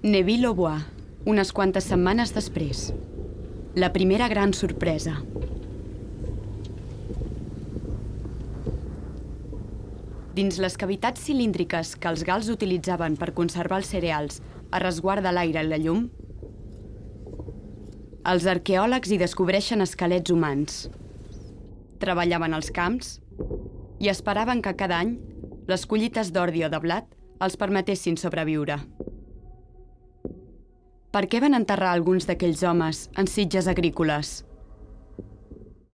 Neuville-au-Bois, unes quantes setmanes després. La primera gran sorpresa. Dins les cavitats cilíndriques que els gals utilitzaven per conservar els cereals a resguard de l'aire i la llum, els arqueòlegs hi descobreixen esquelets humans. Treballaven als camps i esperaven que cada any les collites d'ordi o de blat els permetessin sobreviure. Per què van enterrar alguns d'aquells homes en sitges agrícoles?